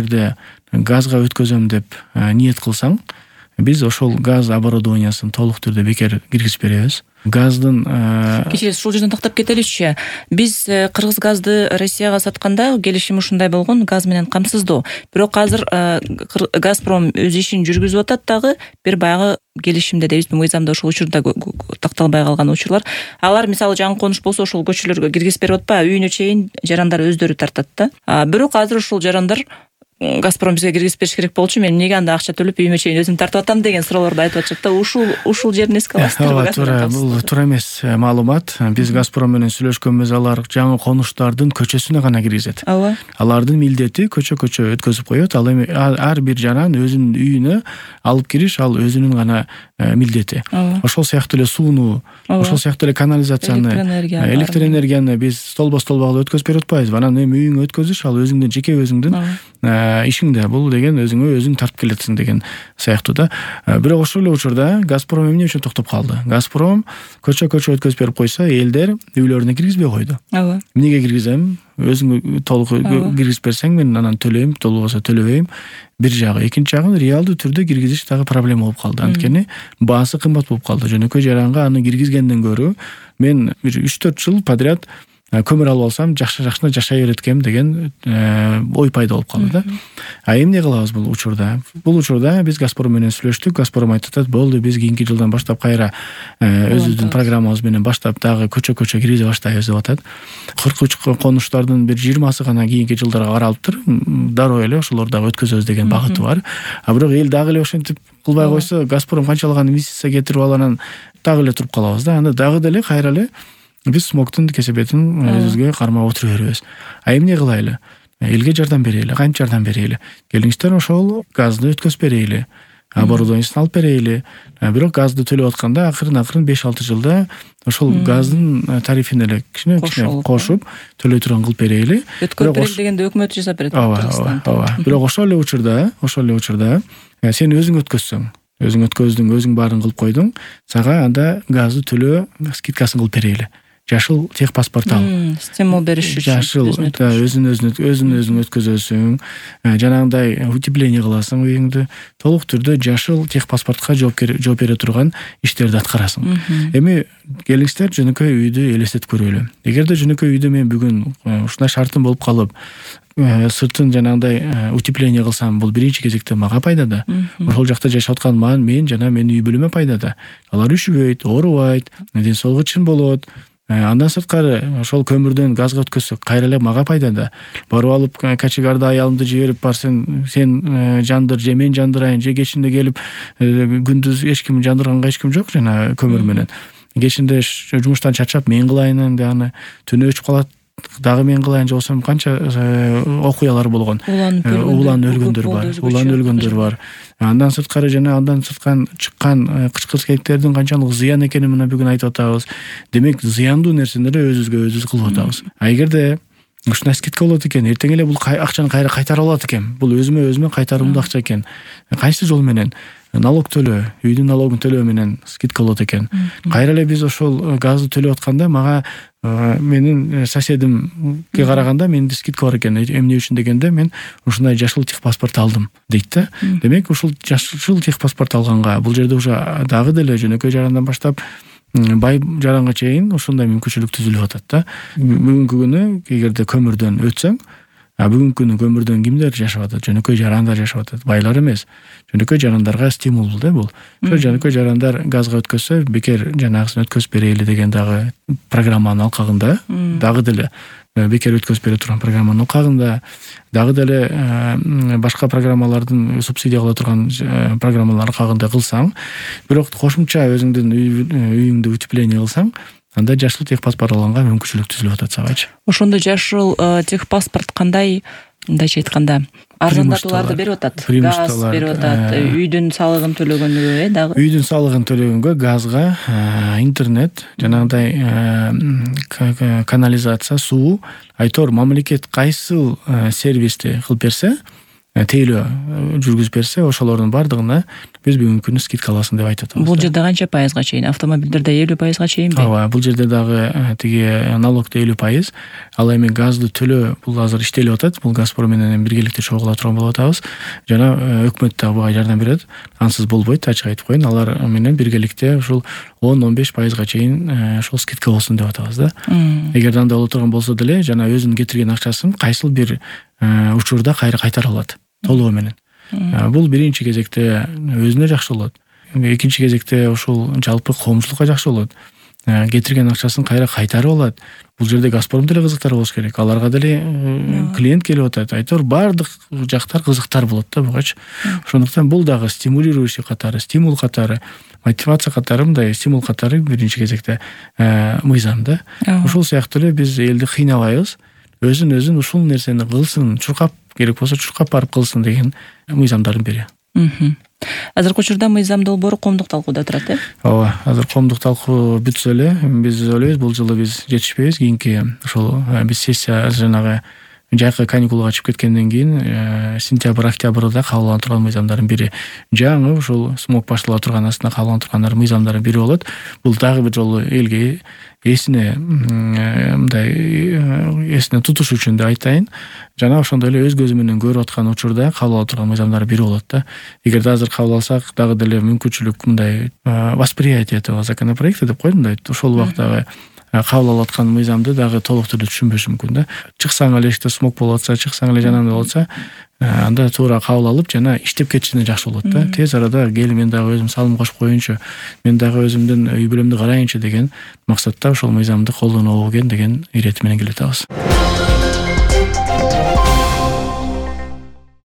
эгерде газга өткөзөм деп ниет кылсаң, биз ошол газ оборудованиясын толук түрдө бекер киргизип беребиз. Газдын кечиресиз, ушул жерден токтоп кетеличи. Биз кыргыз газды Россияга сатканда келишим ушундай болгон, газ менен камсыздоо. Бирок азыр Газпром өз ишин жүргүзүп атат дагы, бир баягы келишимде дейбиз, мыйзамда ошол учурда такталбай калган учурлар. Алар мисалы жаңы конуш болсо ошол көчөлөргө киргизип берип атпайбы, үйүнө чейин жарандар өздөрү тартат да. Бирок азыр ушул жарандар Газпром бизге киргизип бериш керек болчу, мен эмнеге анда акча төлөп үйүмө чейин өзүм тартып атам деген суроолорду айтып атышат да. Ушул жерин эске аласыздарбы? Бул туура эмес маалымат. Биз Газпром менен сүйлөшкөнбүз, алар жаңы конуштардын көчөсүнө гана киргизет. Алардын милдети көчө өткөзүп коет. Ал эми ар бир жаран өзүнүн үйүнө алып кириш, ал өзүнүн гана милдети. Ошол сыяктуу эле сууну, ошол сыяктуу эле канализацияны, электр энергияны биз столбо-столбо өткөзүп берип атпайбызбы? Анан эми үйүңө өткөзүш, ал өзүңдүн жеке өзүңдүн ишиңде. Бул деген өзүң тартып келетсиң деген сыяктуу да. Бирок ошол эле учурда Газпром эмне үчүн токтоп калды? Газпром көчө өткөзүп берип койсо, элдер үйлөрүнө киргизбей койду. Эмнеге киргизем? Өзүң толук киргизип берсең, мен анан төлөйм, толбосо төлөбөйм. Бир жагы. Экинчи жагы, реалдуу түрдө киргизиш дагы проблема болуп калды. Анткени баасы кымбат болуп калды. Жөнөкөй жаранга аны киргизгенден көрө мен бир 3-4 жыл подряд көмүр алып алсам, жакшы жашай берет экем деген ой пайда болуп калды да. Эмне кылабыз бул учурда? Бул учурда биз Газпром менен сүйлөштүк. Газпром айтып атат, болду, биз кийинки жылдан баштап кайра өзүбүздүн программабыз менен баштап дагы көчө киргизе баштайбыз деп атат. 43 конуштардын бир 20сы гана кийинки жылдарга каралыптыр. Дароо эле ошолорду дагы өткөзөбүз деген багыты бар. Бирок эл дагы эле ошентип кылбай койсо, Газпром канчалаган инвестиция кетирип алганан дагы эле туруп калабыз да. Анда дагы деле кайра эле биз смогтун кесепетин өзүбүзгө кармап отура беребиз. Эмне кылайлы? Элге жардам берели, кантип жардам берели? Келиңиздер, ошол газды өткөзүп берели, оборудованиясын алып берели. Бирок газды төлөп атканда акырын 5-6 жылда ошол газдын тарифин эле кичине кошуп төлөй турган кылып берели. Өткөрүп берели дегенде өкмөт жасап берет. Бирок ошол эле учурда сен өзүң өткөзсөң, өзүң өткөздүң, өзүң баарын кылып койдуң, сага анда газды төлөө скидкасын кылып берели. Жашыл техпаспорт ал. Стимул бериш үчүн. Жашыл өзүн өткөзөсүң, жанагындай утепление кыласың үйүңдү. Толук түрдө жашыл техпаспортко жооп бере турган иштерди аткарасың. Эми келиңиздер, жөнөкөй үйдү элестетип көрөлү. Эгерде жөнөкөй үйдө мен бүгүн ушундай шартым болуп калып, сыртын жанагындай утепление кылсам, бул биринчи кезекте мага пайда да. Ошол жакта жашап аткан мен жана менин үй бүлөмө пайда да. Алар үшүбөйт, оорубайт, ден соолугу чын болот. Андан сырткары ошол көмүрдөн газга өткөзсөк, кайра эле мага пайда да. Барып алып качегарда аялымды жиберип бар, сен жандыр, же мен жандырайын, же кечинде келип күндүз эч ким жандырганга эч ким жок жана көмүр менен. Кечинде жумуштан чарчап мен кылайын энди аны, түнү өчүп калат, дагы мен кылайын, же болсо канча окуялар болгон. Улан өлгөндөр бар. Андан сырткары чыккан кычкыртектердин канчалык зыян экенин мына бүгүн айтып атабыз. Демек, зыяндуу нерселерди өзүбүзгө кылып атабыз. Эгерде ушундай скидка болот экен, эртең эле бул акчаны кайра кайтарып алат экен. Бул өзүмө кайтарымдуу акча экен. Кайсы жол менен? Налог төлөө, үйдүн налогун төлөө менен скидка болот экен. Кайра эле биз ошол газды төлөп атканда мага менин соседимге караганда менде скидка бар экен. Эмне үчүн дегенде, мен ушундай жашыл техпаспорт алдым дейт да. Демек, ушул жашыл техпаспорт алганга бул жерде уже дагы деле жөнөкөй жарандан баштап бай жаранга чейин ушундай мүмкүнчүлүк түзүлүп атат да. Бүгүнкү күнү эгерде көмүрдөн өтсөң, бүгүнкү күнү көмүрдөн кимдер жашап атат? Жөнөкөй жарандар жашап атат. Байлар эмес. Жөнөкөй жарандарга стимул да бул. Ошо жөнөкөй жарандар газга өткөзсө, бекер жанагысын өткөзүп берели деген дагы программанын алкагында, дагы деле бекер өткөзүп бере турган программанын алкагында, дагы деле башка программалардын субсидия кыла турган программалар алкагында кылсаң, бирок кошумча өзүңдүн үйүңдү утепление кылсаң, анда жашыл техпаспорт алганга мүмкүнчүлүк түзүлүп атат сабачы. Ошондо жашыл техпаспорт кандай, мындайча айтканда, арзандатууларды берип атат? Газ берип атат, үйдүн салыгын төлөгөнгө, дагы? Үйдүн салыгын төлөгөнгө, газга, интернет, жанагындай канализация, суу, айтор мамлекет кайсыл сервисти кылып берсе, тейлөө жүргүзүп берсе, ошолордун бардыгына биз бүгүнкү күнү скидка аласың деп айтып атабыз. Бул жерде канча пайызга чейин? Автомобилдерде 50% чейинби? Ооба, бул жерде дагы тиги налогду 50%, ал эми газды төлөө бул азыр иштелип атат. Бул Газпром менен биргеликте чогула турган болуп атабыз. Жана өкмөт да буга жардам берет. Ансыз болбойт, ачык айтып коеюн. Алар менен биргеликте ушул 10-15%га чейин ошол скидка болсун деп атабыз да. Эгер андай боло турган болсо деле, жана өзүнүн кетирген акчасын кайсыл бир учурда кайра кайтара алат толугу менен. Бул биринчи кезекте өзүнө жакшы болот. Экинчи кезекте ушул жалпы коомчулукка жакшы болот. Кетирген акчасын кайра кайтарып алат. Бул жерде Газпром деле кызыктар болуш керек. Аларга деле клиент келип атат. Айтор бардык жактар кызыктар болот да бугачы. Ошондуктан бул дагы стимулирующий катары, стимул катары, мотивация катары, мындай стимул катары биринчи кезекте мыйзам да. Ушул сыяктуу эле биз элди кыйнабайбыз. Өзүн ушул нерсени кылсын, чуркап керек болсо чуркап барып кылсын деген мыйзамдардын бири. Азыркы учурда мыйзам долбоору коомдук талкууда турат, Ооба, азыр коомдук талкуу бүтсө эле, биз ойлойбуз бул жылы биз жетишпейбиз. Кийинки ошол биз сессия жанагы жайкы каникулга чыгып кеткенден кийин сентябрь, октябрда кабыл алына турган мыйзамдардын бири. Жаңы ушул смог баштала турган астында кабыл алына тургандар мыйзамдардын бири болот. Бул дагы бир жолу элге эсине тутуш үчүн да айтайын. Жана ошондой эле өз көзү менен көрүп аткан учурда кабыл ала турган мыйзамдардын бири болот да. Эгерде азыр кабыл алсак, дагы деле мүмкүнчүлүк мындай восприятие этого законопроекта деп коет мындай. Ошол убактагы кабыл алып аткан мыйзамды дагы толук түрдө түшүнбөшү мүмкүн да. Чыксаң эле иште смог болуп атса, чыксаң эле жанагындай болуп атса, анда туура кабыл алып жана иштеп кетишине жакшы болот да. Тез арада кел мен дагы өзүм салым кошуп коеюнчу, мен дагы өзүмдүн үй бүлөмдү карайынчы деген максатта ошол мыйзамды колдонобу экен деген иретим менен келе жатабыз.